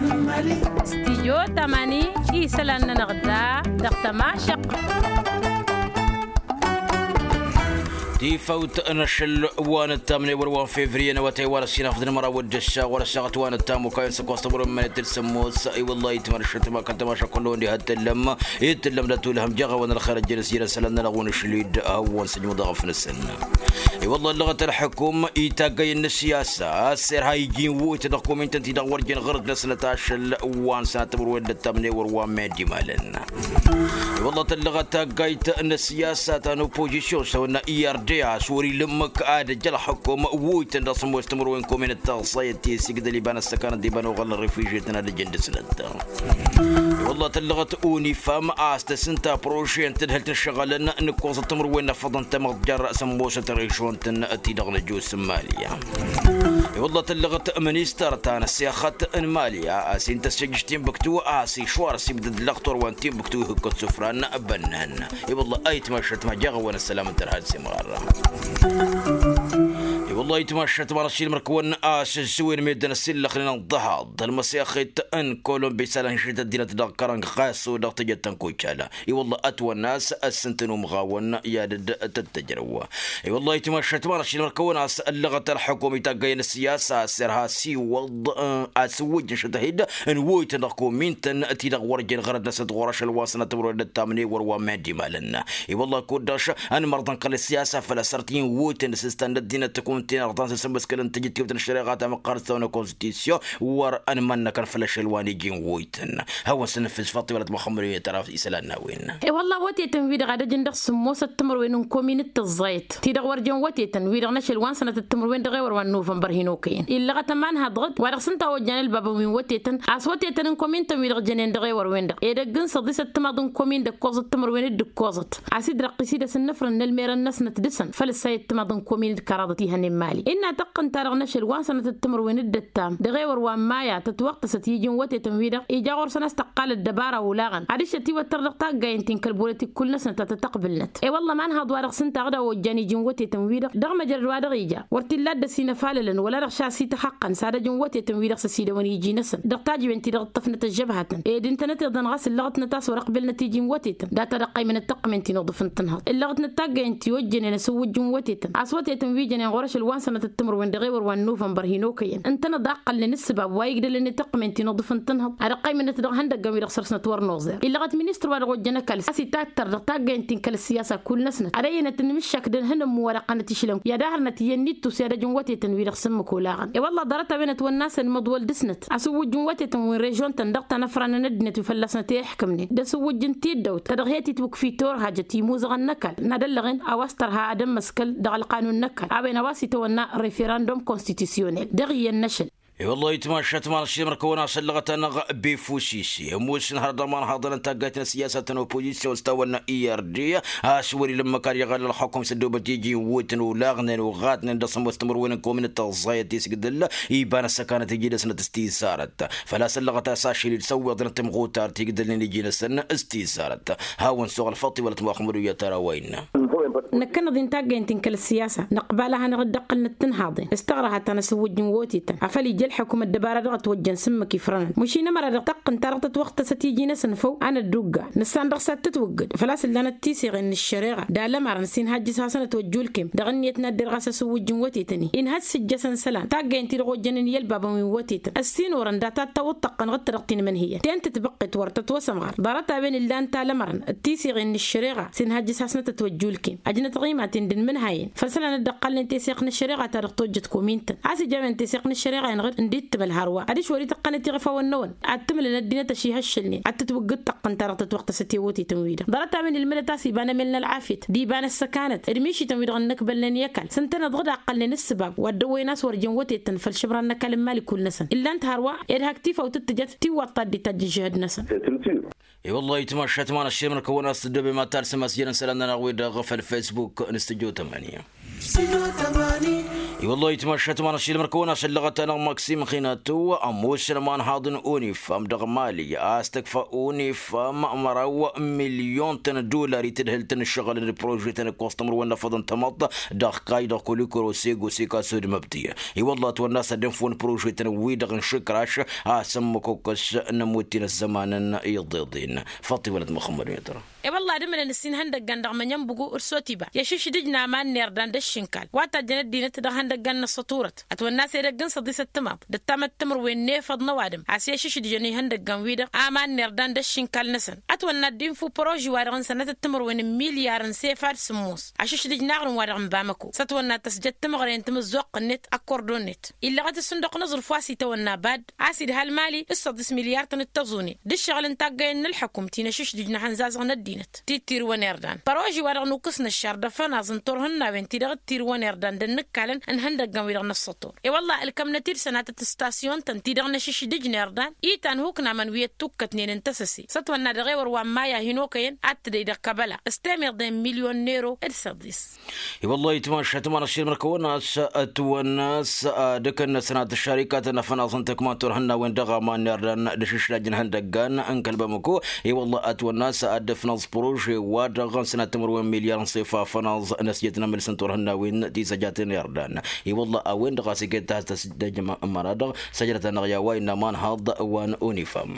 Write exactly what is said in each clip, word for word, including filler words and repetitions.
Stijyo tamani isălan-nănăɣ da dăɣ-tămašăq. Tifawt n-ašăl wa n-ăttamne wăr wa n-fevriye n-awătay wa n-ăssinafăt n-măraw d-ăssa ɣur-ăssaɣăt wa n-ăttam okayăn s-ăkoẓ tămărwen mănet d-sămmos. I-wăllah itmănăšăt ma kăl-tămašăq kullu-wen diha t-tăllăm. Itǝllăm d-atulhăm jeɣ a-wen ălxer ăjjăn s-jărăn isălan-nănăɣ wi n-ašlid. Hawăn-săjmăḍ aɣăf-năsăn. I-wălla ăllăɣăt ălḥukum itaggăyăn n-ăssiyasa a-s irha iji n-iwwuytăn dăɣ-komintăn-ti-dăɣ wăr jen ɣărăt-năsnăt ašăl wa n-sănatămăr-wen d-ăttamne wăr wa n-mad-imalăn. I-wălla tăllăɣăt taggayt n-ăssiyasa ta n-oppozisyon s-tawănna i-arde a-s wăr-ila ǝmmǝk ad-ăj ălḥukum iwwuytăn dăɣ-sămoos tămăr-wen kominăt taẓẓayăt ti-sigdăl iba n-ăssăkanăt d-iba n-oɣălăn refujiyătăn ad-ăjăn dăɣ-snăt. I-wălla tăllăɣăt unifam a-s tăsǝnta proše n-tadhǝlt n-ǝššăɣǝlăn n-ǝkkoẓăt timǝrwen n-afăḍăn tamăḍjar s-ămmosăt režon-tăn-ti-dăɣ n-ăjus n-mali. I-wălla tăllăɣăt ministăr ta n-ăssexăt n-mali a-s intăssăjj s-tinbǝktu a-s išwar s-ibdăd lăxtor wa n-tinbǝktu ihǝkkăt sufran bănnan. I-wălla ayǝtmašăt ma jeɣ-awăn ăssălam n-tărha d-simɣar. I-wălla ayǝtmašăt ma n-ăššilmăr-kăwăn a-s ǝzzǝwen meddǝn ăssillăxnen ănḍăhaḍ ălmăsexit n-kolombi s-alănšit ăddinăt dăɣ-kărănk ɣas-o dăɣ-tejăt ta n-kojala. I-wălla ătwănna a-s ăssintăn umɣawăn i-ad-dd-tăttăjrăw. I-wălla ayǝtmašăt ma n-ăššilmăr-kăwăn a-s ăllăɣăt ălḥukum itaggăyăn ăssiyasa a-s irha s-iwwăḍ asǝwwǝjj n-šătăhid n-woytăn dăɣ-komintăn ti-dăɣ wăr jen ɣărăt-năsnăt ɣur-ašăl wa n-sănatămăr-wen d-ăttamne wăr wa n-mad-imalăn. I-wălla kud-dăɣ š-ănmărḍăn kăl-ăssiyasa făl-ăsărtǝyăn woytăn s-ǝstan n-ăddinăt tăkunt-in-ărḍan s-asǝmmǝskălăn tijǝttiwt n-ăššăreɣa ta măqqarăt s-tawănna konstitusyon. Wăr-ănmănnăkăn făll-ašăl wa n-iji n-woytăn. Hawăn-săn n-fǝzfăḍ tiwălăt muxămmăd-wi n-tăra isălan n-a-wen. I-wălla wătetăn-wi-dăɣ ad-ăjǝn dăɣ-sǝmmosăt timǝrwen n-komin d-tǝẓẓayăt ti-dăɣ wăr jen wătetăn wi-dăɣ n-ašăl wa n-sănătăt timǝrwen dăɣ-ewăr wa n-novănbăr hin-okăyăn illăɣăt ămanhaḍ dăɣ-dd wa dăɣ-s ǝnta a ojjan ălbabăn wi n-wătetăn a-s wătetăn n-komin-tăn wi-dăɣ jănen dăɣ-ewăr-wen-dăɣ ed ăgg-n săḍisăt timaḍ n-komin d-ǝkkoẓăt timǝrwen d-ǝkkoẓăt a-s dd-răqqis-dd asǝnnǝfrăn n-ălmerăn-năsnăt dăɣ-săn făll-ǝssayăt timaḍ n-komin d-kăraḍăt ihănen mali innă tăqqǝnta-dăɣ n-ašăl wa n-sănătăt timǝrwen d-ăttam dăɣ-ewăr wa n-maya tătwăɣtăsăt iji n-wătetăn-wi-dăɣ ija ɣur-săn a-s tăqqal ăddăbara olaɣăn adiš tătiwăttăr dăɣ-taggayăn ti n-kăl-bolotik kull-năsnăt a tăt-ăqbǝlnăt. I-wălla manhaḍ wa dăɣ-s ǝnta a dăɣ-ojjan iji n-wătetăn-wi-dăɣ dăɣ-măjrăd wa dăɣ-ija wăr t-illa a dd-ăsinăfalălăn wăla dăɣ-šasi tăxăqqăn s-ad-ăj n-wătetăn-wi-dăɣ s-ăsidăwăn iji-năsăn dăɣ-tajben ti-dăɣ ǝṭṭăfnăt ăžžăbhatăn ed ǝntănăt iḍăn ɣas ǝllăɣătnăt a-s wăr-ăqbǝlnăt iji n-wătetăn data d-ăqqăymănăt tăqqǝmen ti n-uḍǝf n-tǝnhăḍ ǝllăɣătnăt taggăyăn ti ojjănen asǝwwǝjj n-wătetăn a-s wătetăn wi jănen ɣur-ašăl wa n-sănătăt timǝrwen dăɣ-ewăr wa n-novănbăr hin-okăyăn ǝntănăḍ a ǝqqălnen ǝssǝbab wa igdălăn i-tăqqǝmen ti n-uḍǝf n-tǝnhăḍ ad-ăqqăymănăt dăɣ-ihăndăggăn-wi-dăɣ săr-snăt wăr noẓer illăɣăt ministăr wa dăɣ-ojjăn ăkall a-s itattăr dăɣ-taggăyăn ti n-kăl-ăssiyasa kull-năsnăt ad-ăyyănăt n-imǝššak d-ănhǝnǝmmu wa dăɣ-qanăt išlăn i-ad-ahărnăt iyyăn n-ittus i-ad-ăj n-wătetăn-wi-dăɣ s-ǝmmǝk olaɣăn. I-wălla ḍarăt-a-wen ătwănna a-s ănmăḍwăl dăɣ-snăt asǝwwǝjj n-wătetăn wi n-režon-tăn dăɣ-tanăfra n-ăddinăt wi fălla-snăt i-iḥkǝmnen d-asǝwwǝjj n-tiddawt ta dăɣ-he-titwǝkfi torhajăt imuzăɣăn n-ăkall n-ad-ăllăɣen a-wa s-tărha ad-ămmăskăl dăɣ-ălqanun n-ăkall a-wen a-wa s-itwănna referandum konstitusyonel dăɣ-iyyăn n-ašăl. I-wăllah itmašat ma n-ašimăr-kăwăn a-s ăllăɣăt-anăɣ befusisi ămoosăn hărăt dăɣ-imanhaḍăn n-taggayt n-ăssiyasat n-opozisyon s-tawănna ird a-s wăr-ila ǝmmǝk ad-iɣăl ălxukum s-ăddoobăt iji n-iwwǝtăn olaɣnen oɣatnen dăɣ-sămoos timǝrwen n-kominăt tăẓẓayăt tisgǝdǝl iba n-ăssăkanăt iji dăɣ-snăt s-tisarăt. Făl-a-s ăllăɣăt a-s ašăl-dd săwweḍnăt timɣutar ti igdălnen iji-năsăn s-tisarăt. Hawăn-suɣǝl făṭṭi wălăt muxămmăd uyyăt ara wa innă. Năkkăneḍ-i n-taggaynt-in kăl-ăssiyasa năqbal a hanăɣ-dd-ăqqǝlnăt tǝnhaḍen s-taɣrăha ta n-asǝwwǝjj n-wotităn afăl ija ălxukum ăddăbara dăɣ-ătwăjjăn s-ǝmmǝk ifrănăn mašin ămăra dăɣ-taqqǝnt-ta-dăɣ tătwăɣtăsăt iji-năsăn făw a năddugga nǝssan dăɣ-s ad-tǝtwǝggǝd făl-a-s ǝllanăt tiseɣen n-ăššăreɣa d-alămarăn s-inhajjǝs hasăn-ătwăjj ulkem dăɣ-ǝnniyăt n-ad-derɣas asǝwwǝjj n-wotităn-i inhăj s-ǝjjăsăn isălan taggaynt-i-dăɣ ojjănen i-ălbabăn wi n-wotităn ăssinorăn data ad-tawǝḍ tăqqănăɣ d-ta-dăɣ tinmǝnhǝyăn ten-tǝtbăqqet wăr tătwăsămɣăr ḍarăt-a-wen ǝllan talămărăn d-tiseɣen n-ăššăreɣa s-inhăjjǝs hasnăt-ătwăjj ulkem ăjnăt ɣimaten d-inmǝnhayăn făll-isălan a dd-ăqqalnen teseɣt n-ăššăreɣa ta dăɣ-tojjăt komintăn a-s ija a-wen teseɣt n-ăššăreɣa-in ɣǝr ǝndi t-tǝmǝl hărwa adiš wăr-ităqqănăt iɣăfawăn-năwăn ad-t-tǝmǝlăn ăddinăt ăšihăššălnen ad-tǝtwǝggǝd taqqǝnt-ta-dăɣ tătwăɣtăsăt i-wotităn-wi-dăɣ ḍarăt-a-wen ǝlmǝdăt a-s iba n-emel n-ălɣafyăt d-iba n-ăssăkanăt d-mišităn-wi-dăɣ ǝnnăkbălnen i-ăkall s-ǝntăneḍ ɣǝd a ǝqqălnen ǝssǝbab wa dd-ăwwăyăn a-s wăr jen wotităn făll-išǝbran n-ăkall n-imali kull-năsăn ǝllan-t hărwa ed hak tifawt t-tǝjăt tiwwaḍt ta dd-itajj ǝžžǝhǝd-năsăn. I-wăllah itmašat ma n-aššimăr-kăwăn a-s tǝddobem ad-talsăm a-s jăn isălan-nănăɣ-wi-dăɣ făll-facebook n-studyo tămănǝya. I-wăllah itmašat ma n-ašilmăr kăwăn-asăllăɣăt-anăɣ maksim xinatu ămoosăn ămanhaḍ n-unifam dăɣ-mali a-s tăkfa unifam măraw milyon-tăn n-dular i-tadhǝlt n-ǝššăɣǝl n-prožetăn ǝkkoẓ timǝrwen n-afăḍăn tamăḍt dăɣ-kayy dăɣ-kulikuro sego seka sud măbti. I-wăllah ătwănna a-s ad-dd-infǝwăn prožetăn-wi-dăɣ n-išǝkraš a-s ămmăkokăs n-ămuttin ăzzămanăn iḍeḍen. Făṭṭi wălăt muxămmăd metăr. E-wălla ad-ǝmǝlăn ǝssin ihăndăggan dăɣ-mănyănbǝgu d-sotiba i-ašǝšdǝj n-aman n-irdan d-ăššinkal wa tajjăn ăddinăt dăɣ-ihăndăggan n-ăṣṣăturăt. Ătwănna a-s edăgg n-săḍisăt timaḍ d-ăttamăt timǝrwen n-efăḍ n-ăwadǝm a-s i-ašǝšdǝjăn ihăndăggan-wi-dăɣ aman n-irdan d-ăššinkal-năsăn. Ătwănna ad-dd-infǝw păroži-wa-dăɣ n-sănatăt timǝrwen n-milyar n-sefa d-sǝmmos ašǝšdǝj n-aɣrǝm-wa-dăɣ n-bamăko s-ătwănna ad-tăsjăd timǝɣre n-timǝzzuɣt-net ăkkordo-net. Illăɣăt ǝssin dăɣ-nǝẓrǝf wa s-itawănna bad a-s idha ălmali d-săḍis milyar-tăn d-tăẓune d-ǝššăɣǝl n-taggăyăn n-ălḥăkum ti n-ašǝšdǝj n-ahănzazăɣ n-ăddinăt ti d-tirǝwăn irdan păroži-wa-dăɣ nukǝs n-ăššar d-afănaẓ n-turhǝnnawen ti dăɣ-dd-tirǝwăn irdan d-ănnǝkkalăn n-ihăndăggăn-wi-dăɣ n-ăṣṣătur. E-wălla ǝlkămnăt-dd sănatăt ǝstasyon-tăn ti dăɣ-năšǝšdǝj n-irdan itan huknaman wi ăttukkătnen n-tăsăse s-ătwănna dăɣ-ewăr wa n-maya hin-okăyăn ad-tǝdăy dăɣ-kăbăla s-temeḍe n-milyon n-ero d-săḍis. I-wăllah itmašat ma n-ašilmăr kăwăn-as ătwănna a-s ad-ǝkǝnnăsăn ad-tăššarikatăn afănaẓ n-tăkma n-turhǝnnawen dăɣ-aman n-irdan d-ašǝšlaj n-ihăndăggan n-kăl-bamăko. I-wăllah ătwănna a-s ad-dd-ǝfnăẓ prože-wa-dăɣ n-sănat timǝrwen milyar n-sefa afănaẓ n-ăsjăt n-amǝls n-turhǝnnawen ti s-ăjatăn irdan. I-wăllah a-wen-dăɣ a-s iket ta s-tăsdăjăm ămăra-dăɣ săjdăt-anăɣ i-a-wa innă amanhaḍ wa n-unifam.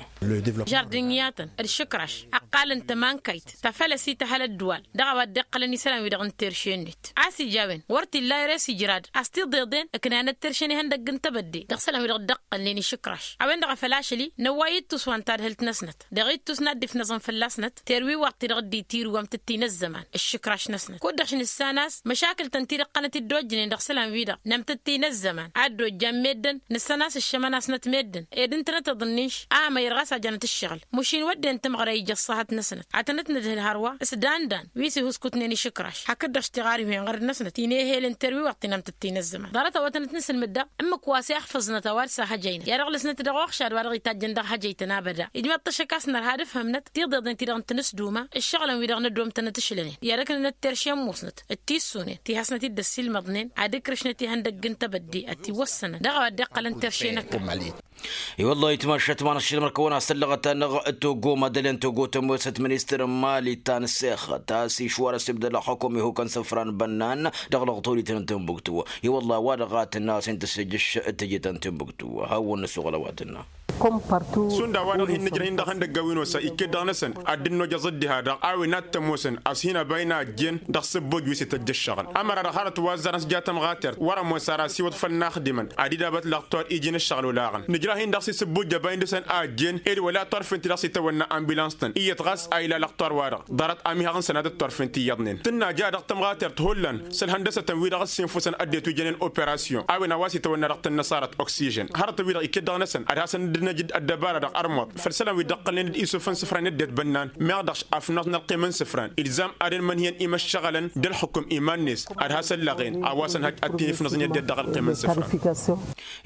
Žardǝnyatăn d-išǝkraš ăqqalăn tămankayt ta făl ăsităhăl ăddǝwal dăɣ-a-wa dd-iqqălăn isălan-wi-dăɣ n-terše-net a-s ija a-wen wăr t-illa ere s-ijrad a-s tiḍeḍen ǝknanăt terše n-ihăndăgg n-tebădde dăɣ-isălan-wi-dăɣ dd-ăqqălnen išǝkraš. A-wen-dăɣ a făl ašăl-i năwway ittus wa n-tadhǝlt-năsnăt dăɣ-ittus n-ad-dd-ifnăẓăn fălla-snăt terwiwaḍt-ti-dăɣ dd-itirǝwăm tǝttin ăzzăman ǝššǝkraš-năsnăt kud-dăɣ š-nǝssan a-s măšakǝl-tăn ti dd-iqqănăt dd-ojjǝnen dăɣ-isălan-wi-dăɣ n-amtǝttin ăzzăman ad-dd-ojjan meddǝn nǝssan a-s ǝššămăn-asnăt meddǝn ed ǝntănăt iḍǝnnin š-amăyăr ɣas a janăt ǝššăɣǝl măšin wădden tǝmɣăra ija ăṣṣahăt-năsnăt ad-tănăt-nǝdhǝl hărwa s-dandan wi s-ihuskutnen išǝkraš hakd-dăɣ s-tiɣarhiwen ɣărd-năsnăt inehel n-terwiwăḍt ti n-amtǝttin ăzzăman ḍarăt a-wa tănăt-nǝsǝlmǝd daɣ ǝmmǝk wa s-iɣfăẓnăt a-wa d-sahăjăynăt i-ad-ăɣlăsnăt dăɣ-uɣšad wa dăɣ-itajjăn dăɣ-hăjăy-tăn abăda ijmăḍ-t ašăk a-s nărha ad-ǝfhǝmnăt tiḍeḍen-ti-dăɣ n-tinǝsduma ǝššăɣǝlăn-wi-dăɣ n-ăddoom tănăt-ǝšlănen i-ad-ǝknǝnăt terše n-musnăt d-tissunen ti hasnăt-dd ăssiilmăḍnen ad-ǝkrǝšnăt ihăndăgg n-tebădde ătiwăssănăn dăɣ-a-wa dd-iqqălăn terše n-ăkall. I-wăllah itmašat ma n-ašilmăr kăwăn-asăllăɣăt-anăɣ togo madălen togo tămoosăt ministăr n-mali ta n-sexăt a-s išwar asibdăl ălxukum ihukăn săfran bănnan dăɣ-lăɣtulit n-timbuktu. I-wăllah a-wa-dăɣ a tǝnna a-s hin-tǝssǝjjǝš tǝjǝt n-timbuktu hawăn-nǝsuɣǝl a-wa tǝnna. Šund a-wa-dăɣ hin-nǝjrăh-in dăɣ-ihăndăggan wi n-osa iket dăɣ-năsăn ad-dd-nojăẓ dd-iha-dăɣ a-wen ad-t-ămoosăn a-s hin-ăba inajjen dăɣ-sǝbboj wi s-ităjj ǝššăɣǝl ămăra-dăɣ hărăt wa ăzzarăn s-ja tămɣatert wăr-ămoos ara asiwăḍ făll-inaxdimăn ad-idabăt lăɣtor iji n-ǝššăɣǝl olaɣăn nǝjrăh-in dăɣ-s isǝbboj ăba indăsăn a ăjjeen ed wăla turfen-ti-dăɣ s-itawănna ambulans-tăn iyyăt ɣas a ila lăɣtor-wa-dăɣ ḍarăt amihaɣ n-sănatăt turfen ti iyyăḍnen tǝnna ja dăɣ-tămɣatert hullan s-ălhăndăsătăn-wi-dăɣ ǝssinfusăn ăddinăt wi jănen operasyon a-wen a-wa s-itawănna dăɣ-tăn-năṣarăt oksižen hărătăn-wi-dăɣ iket dăɣ-năsăn ad-hasăn-dd-năj ăddăbara dăɣ-ărmuḍ făll-isălan wi dd-ăqqălnen d-isufăn isǝfran n-ăddinăt bănnan meɣ dăɣ-š afnăẓ n-ălqim n-isǝfran ilzam ad-ănmănhǝyăn imăššăɣălăn d-ălxukum iman-net ad-has-ăllăɣen a-wa s-ănhăj ad-t-in-ifnăẓ n-ăddinăt dăɣ-ălqim n-isǝfran.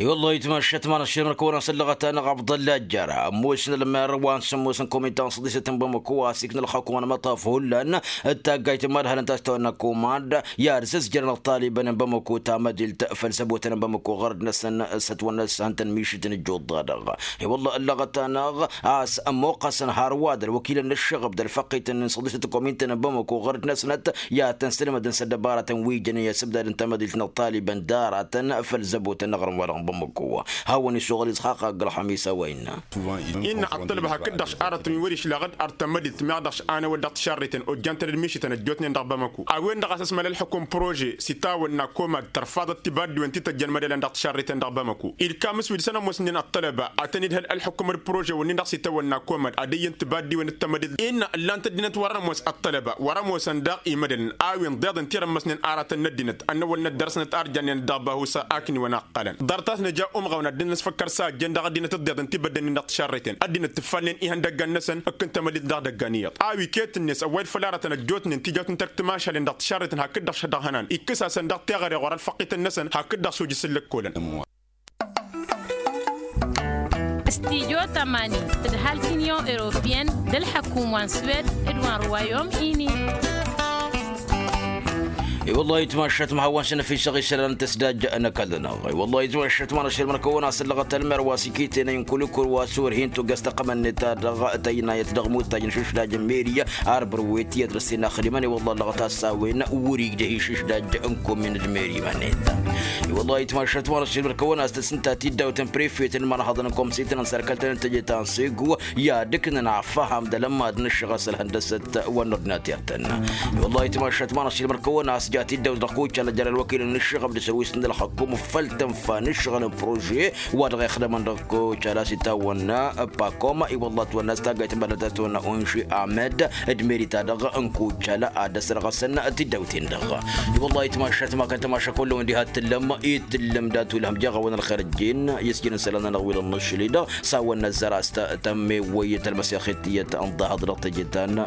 I-wăllah itmašat ma n-ašilmăr kăwăn-asăllăɣăt-anăɣ abḍălla jăra ămoosăn ălmer wa n-sămoosăn komitan săḍisăt n-bamăko a s-ikna ălxukum ănmăṭṭaf hullan d-taggayt n-imadhalăn ta s-tawănna komand i-ad-sǝzjărăn ăṭṭalibăn n-bamăko tamădilt făll-săbotăn n-bamăko ɣărd-năsăn s-ătwănna s-hăn-tăn mišǝt n-ǝjjuḍ-dăɣ. I-wălla ăllăɣăt-anăɣ a-s ămmuqqăsăn hărwa d-ălwăkilăn n-ǝššăɣăb d-ălfăqqităn n-săḍisăt n-komintăn n-bamăko ɣărd-năsnăt i-ad-tăn-sǝlmădăn s-ăddăbarătăn wi jănen i-asǝbdad n-tamădilt n-ăṭṭalibăn d-aratăn făll-zăbotăn n-aɣrǝm-wa-dăɣ n-bamăko. Hawăn-isuɣǝl isxaqaq ălxămis a-wa innă. Innă ăṭṭălăb hakd-dăɣ š-aratăn wi wăr-išlaɣ d-artămădilt meɣ dăɣ-š anăwăl dăɣ-tišarriten ojjan-tăn d-mišǝtăn ăjjootnen dăɣ-bamăko a-wen-dăɣ a-s ăsmăl ălxukum prože s-itawănna komad tărfaḍăt tibaddiwen ti tăjjăn mădălăn dăɣ-tišarriten dăɣ-bamăko. Ilkam s-wi dăɣ-săn ămoosnen ăṭṭălăba ad-tăn-idhăl ălxukum d-prožewăn-nin-dăɣ s-itawănna komad ad-ǝyyǝn tibaddiwen d-tamădilt innă ǝllan-t ăddinăt wăr-ămoos ăṭṭălăba wăr-ămoosăn daɣ imădălăn a-wen ḍeḍen tirămmăsnen aratăn n-ăddinăt ănnăwăl n-ăddăr-snăt ar jannen dăɣ-bahusa akniwăn a ǝqqălăn ḍarăt a-s nǝja umɣăwăn ad-dd-nǝsfăkkăr s-a ăjjeen dăɣ-ăddinăt ăḍḍeḍen ti băddănen dăɣ-tišarriten ăddinăt tǝffalnen ihăndăggan-năsăn ǝkkǝn tamădilt dăɣ-idăggan iyyăḍ a-wi iket-net ăwwăyăd făll-aratăn ăjjootnen tijawt n-tărk timašalen dăɣ-tišarriten hakd-dăɣ šădăɣ-hănan ikkǝs-asăn dăɣ-teɣăre ɣur-ălfăqqităn-năsăn hakd-dăɣ s-ujǝs n-lăkkolăn. Studyo tămani tǝdhal t-inyon europiyăn d-ălḥăkum wa n-swed d-wa n-ruwayom ini. I-wăllah itmašat ma hawăn-săn efisăɣ isălan n-tăsdaj n-ăkall-năɣ. I-wăllah itmašat ma n-ašăl măr-kăwăn-as ǝllăɣăt ălmer wa s-ikiten ăynkul ikur wa s-orhin tugăst ăqqămăn-net-ta-dăɣ tăynayăt dăɣ-mutaj n-išǝšdaj n-meri. Arbăr wet i-ădrăs-ten axdimăn i-wăllah ǝllăɣăt-as s-a-wen wăr-igdăh išǝšdaj n-komin d-meri iman-net. I-wăllah itmašat ma n-ašăl măr-kăwăn-as tăsǝnta tiddawt n-prefet n-imărhăḍăn n-komsităn n-sărkăltăn n-teje ta n-segu i-ad-ǝknăn afăham d-alămmad n-ǝššăɣ a-s ălhăndăsăt wa n-ordinater-tăn. I-wăllah itmašat ma n-ašăl măr-kăwăn-as ja tiddawt dăɣ-kucala jer-ălwăkil n-ǝššăɣăb d-săwis n-ălxăkkum făll-tǝnfa n-ǝššăɣǝl n-prože wa dăɣ-ixdămăn dăɣ-kucala a-s itawănna pakom i-wăllah ătwănna a-s taggayt n-bănnăt a-s tăwănna unši amed d-meri-ta-dăɣ n-kucala ad-ăsrăɣăsăn tiddawt-ten-dăɣ. I-wăllah itmašat ma kăl-tămaša kull-wen diha t-tǝllăm i-tǝllăm dat-ulhăm jeɣ-awăn ălxer ăjjeen i-s jăn isălan-nănăɣ wi dăɣ-nǝššǝl-i-dăɣ s-a-wănna ăzzăr a-s tămmewăy tălmăsexet tiyyăt ănḍahăḍ dăɣ-teje ta n-